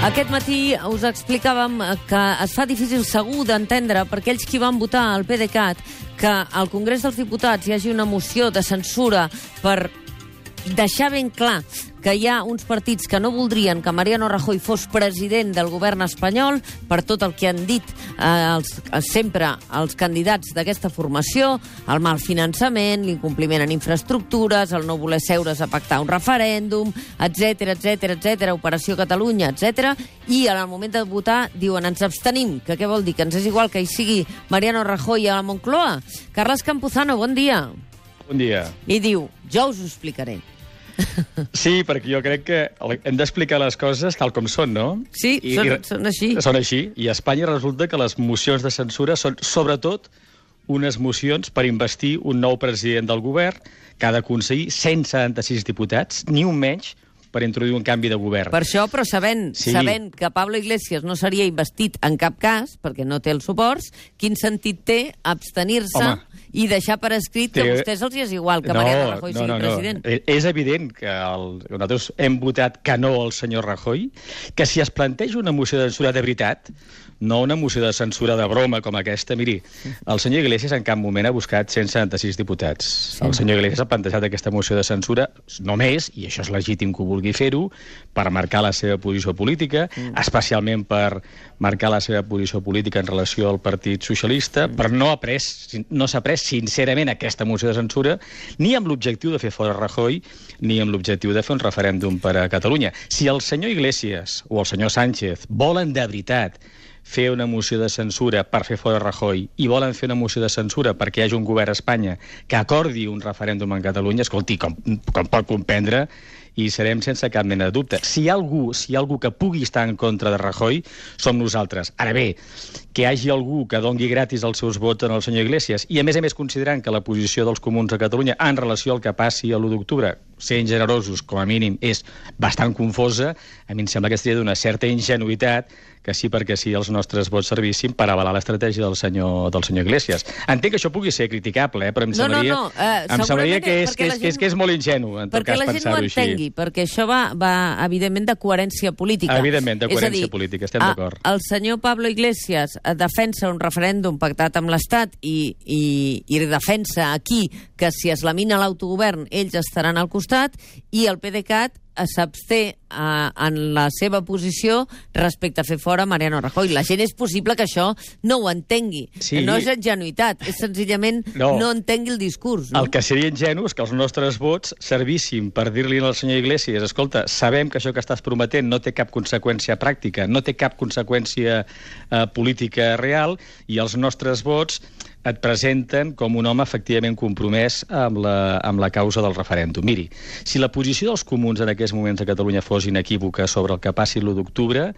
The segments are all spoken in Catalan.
Aquest matí us explicàvem que es fa difícil segur d'entendre per aquells qui van votar al PDeCAT que al Congrés dels Diputats hi hagi una moció de censura per deixar ben clar que hi ha uns partits que no voldrien que Mariano Rajoy fos president del govern espanyol per tot el que han dit sempre els candidats d'aquesta formació, el mal finançament, l'incompliment en infraestructures, el no voler seure's a pactar un referèndum, etc, Operació Catalunya, etc. I en el moment de votar diuen ens abstenim, que què vol dir? Que ens és igual que hi sigui Mariano Rajoy a la Moncloa? Carles Campuzano, bon dia. Bon dia. I diu, jo us ho explicaré. Sí, perquè jo crec que hem d'explicar les coses tal com són, no? Sí, són així. Són així. I a Espanya resulta que les mocions de censura són, sobretot, unes mocions per investir un nou president del govern que ha d'aconseguir 176 diputats, ni un menys, per introduir un canvi de govern. Per això, però sabent que Pablo Iglesias no seria investit en cap cas, perquè no té els suports, quin sentit té abstenir-se i deixar per escrit que a vostès els és igual que Mariano Rajoy sigui president? És evident que nosaltres hem votat que no al senyor Rajoy, que si es planteja una moció de censura de veritat, no una moció de censura de broma com aquesta, miri, el senyor Iglesias en cap moment ha buscat 176 diputats. Sí. El senyor Iglesias ha plantejat aquesta moció de censura només, i això és legítim que ho vulgui fer-ho, per marcar la seva posició política, especialment per marcar la seva posició política en relació al Partit Socialista, però no s'ha pres sincerament aquesta moció de censura ni amb l'objectiu de fer fora Rajoy ni amb l'objectiu de fer un referèndum per a Catalunya. Si el senyor Iglesias o el senyor Sánchez volen de veritat fer una moció de censura per fer fora Rajoy i volen fer una moció de censura perquè hi hagi un govern a Espanya que acordi un referèndum en Catalunya, escolti, com pot comprendre, i serem sense cap mena de dubte. Si hi ha algú que pugui estar en contra de Rajoy, som nosaltres. Ara bé, que hi hagi algú que dongui gratis els seus vots al senyor Iglesias i, a més, considerant que la posició dels comuns a Catalunya en relació al que passi a l'1 d'octubre, sent generosos, com a mínim, és bastant confosa, a mi em sembla que seria d'una certa ingenuïtat que sí perquè sí els nostres vots servissin per avalar l'estratègia del senyor Iglesias. Entenc que això pugui ser criticable, però em semblaria que és molt ingenu, en tot cas, pensar-ho així. Perquè això va evidentment, de coherència política. Evidentment, de coherència política, estem d'acord. El senyor Pablo Iglesias defensa un referèndum pactat amb l'Estat i defensa aquí que si es lamina l'autogovern ells estaran al costat, i el PDeCAT s'absté en la seva posició respecte a fer fora Mariano Rajoy. La gent és possible que això no ho entengui. Sí. No és ingenuïtat, és senzillament no entengui el discurs. No? El que seria ingenu és que els nostres vots servissin per dir-li al senyor Iglesias, escolta, sabem que això que estàs prometent no té cap conseqüència pràctica, no té cap conseqüència política real, i els nostres vots et presenten com un home efectivament compromès amb la causa del referèndum. Miri, si la posició dels comuns en aquests moments a Catalunya fos inequívoca sobre el que passi l'1 d'octubre,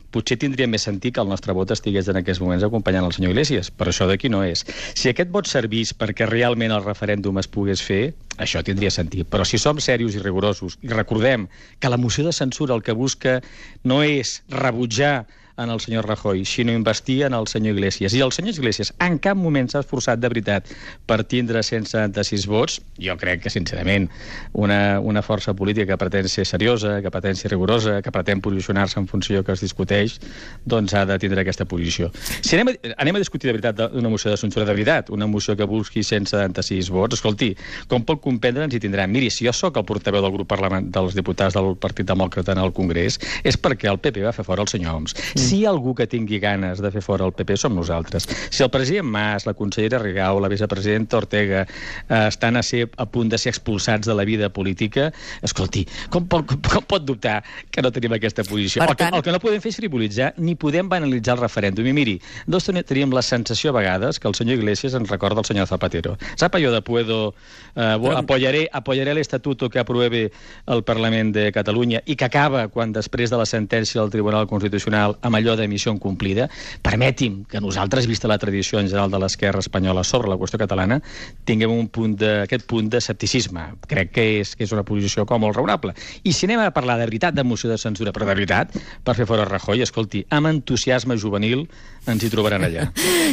potser tindria més sentit que el nostre vot estigués en aquests moments acompanyant el senyor Iglesias, però això d'aquí no és. Si aquest vot servís perquè realment el referèndum es pogués fer, això tindria sentit. Però si som serios i rigorosos, i recordem que la moció de censura el que busca no és rebutjar en el senyor Rajoy, sinó investir en el senyor Iglesias. I el senyor Iglesias en cap moment s'ha esforçat de veritat per tindre 176 vots. Jo crec que, sincerament, una força política que pretén ser seriosa, que pretén ser rigorosa, que pretén posicionar-se en funció que es discuteix, doncs ha de tindre aquesta posició. Si anem a discutir de veritat una moció de censura de veritat, una moció que busqui 176 vots, escolti, com pot comprendre ens hi tindran? Miri, si jo sóc el portaveu del grup parlamentari dels diputats del Partit Demòcrata en el Congrés, és perquè el PP va fer fora el senyor Homs. Si hi ha algú que tingui ganes de fer fora el PP, som nosaltres. Si el president Mas, la consellera Rigau, la vicepresidenta Ortega estan a punt de ser expulsats de la vida política, escolti, com pot dubtar que no tenim aquesta posició? El que no podem fer és frivolitzar, ni podem banalitzar el referèndum. I miri, teníem la sensació a vegades que el senyor Iglesias ens recorda el senyor Zapatero. Sap allò de puedo apoyaré el estatuto que apruebe el Parlament de Catalunya i que acaba quan després de la sentència del Tribunal Constitucional amb allò de missió incomplida? Permeti'm que nosaltres, vista la tradició en general de l'esquerra espanyola sobre la qüestió catalana, tinguem aquest punt d'escepticisme. Crec que és una posició com molt raonable. I si anem a parlar de veritat de moció de censura, però de veritat, per fer fora Rajoy, escolti, amb entusiasme juvenil ens hi trobaran allà.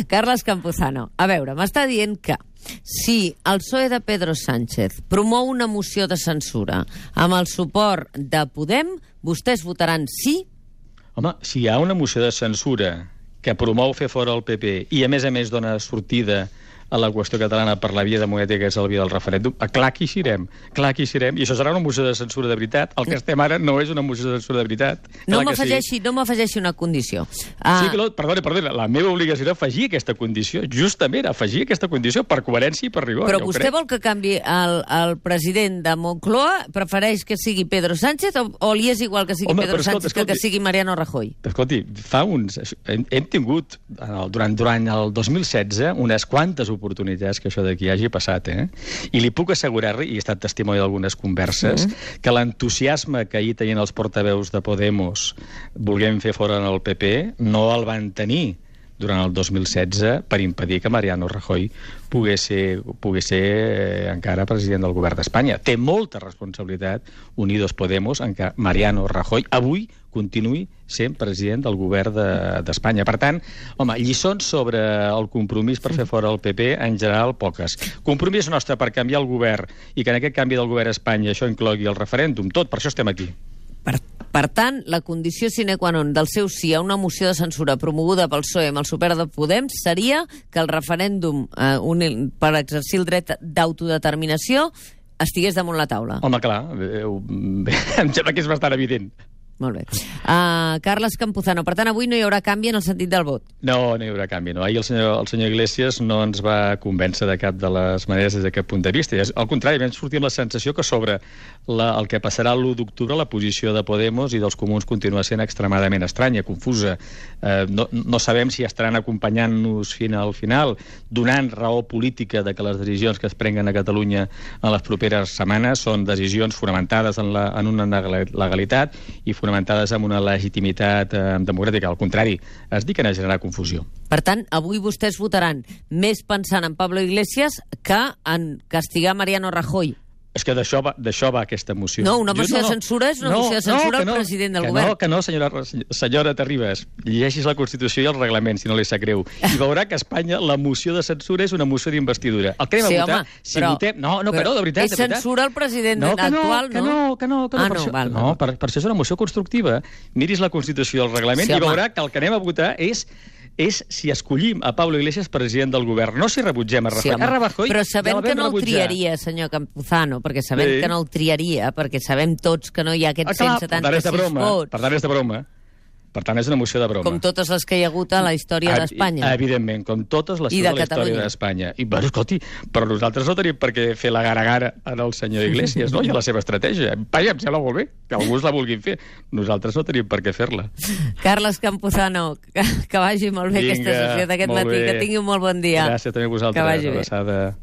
Carles Campuzano, a veure, m'està dient que si el PSOE de Pedro Sánchez promou una moció de censura amb el suport de Podem, vostès votaran sí? Home, si hi ha una moció de censura que promou fer fora el PP i, a més, dona sortida a la qüestió catalana per la via democràtica, que és la via del referèndum, clar que hi serem, i això serà una moció de censura de veritat. El que estem ara no és una moció de censura de veritat. No m'afegeixi una condició. Sí, perdona, la meva obligació era afegir aquesta condició, justament afegir aquesta condició per coherència i per rigor. Però vostè vol que canvi el president de Moncloa? Prefereix que sigui Pedro Sánchez o li és igual que sigui Pedro Sánchez que sigui Mariano Rajoy? Escolti, hem tingut durant el 2016 unes quantes oportunitats que això d'aquí hagi passat, I li puc assegurar-li, i he estat testimoni d'algunes converses, que l'entusiasme que ahir tenien els portaveus de Podemos volent fer fora el PP no el van tenir durant el 2016 per impedir que Mariano Rajoy pogués ser encara president del govern d'Espanya. Té molta responsabilitat Unidos Podemos en que Mariano Rajoy avui continuï sent president del govern d'Espanya. Per tant, home, lliçons sobre el compromís per fer fora el PP, en general, poques. Compromís nostre per canviar el govern i que en aquest canvi del govern a Espanya això inclogui el referèndum, tot, per això estem aquí. Per tant, la condició sine qua non del seu sí a una moció de censura promoguda pel PSOE amb el suport de Podem seria que el referèndum per exercir el dret d'autodeterminació estigués damunt la taula. Home, clar, em sembla que és bastant evident. Molt bé. Carles Campuzano, per tant, avui no hi haurà canvi en el sentit del vot? No hi haurà canvi, no. Ahir el senyor Iglesias no ens va convèncer de cap de les maneres des d'aquest punt de vista. Al contrari, vam sortir amb la sensació que sobre el que passarà l'1 d'octubre la posició de Podemos i dels comuns continua sent extremadament estranya, confusa. No sabem si estaran acompanyant-nos fins al final, donant raó política de que les decisions que es prenguen a Catalunya en les properes setmanes són decisions fonamentades en una legalitat i fonamentades en una legitimitat democràtica. Al contrari, es dediquen a generar confusió. Per tant, avui vostès votaran més pensant en Pablo Iglesias que en castigar Mariano Rajoy. És que d'això va aquesta moció. No, una moció de censura és una moció de censura al president del govern. Que no, senyora Terribas. Llegeixis la Constitució i el reglament, si no li sap greu. I veurà que a Espanya la moció de censura és una moció d'investidura. El que anem a votar, si votem... No, de veritat. És censura al president actual, no? No, per això és una moció constructiva. Miris la Constitució i el reglament i veurà que el que anem a votar és si escollim a Pablo Iglesias president del govern, no si rebutgem a Rajoy. Però sabem que no el triaria, senyor Campuzano, perquè sabem que no el triaria, perquè sabem tots que no hi ha aquests 176 vots. Per tant, és de broma. Per tant, és una moció de broma. Com totes les que hi ha hagut a la història d'Espanya. Evidentment, com totes les de la història d'Espanya. I, escolti, però nosaltres no tenim per què fer la gara-gara al senyor Iglesias, no? I a la seva estratègia. Vaja, em sembla molt bé, que alguns la vulguin fer. Nosaltres no tenim per què fer-la. Carles Campuzano, que vagi molt bé aquesta sessió d'aquest matí. Que tingui un molt bon dia. Gràcies també a vosaltres. Que vagi bé.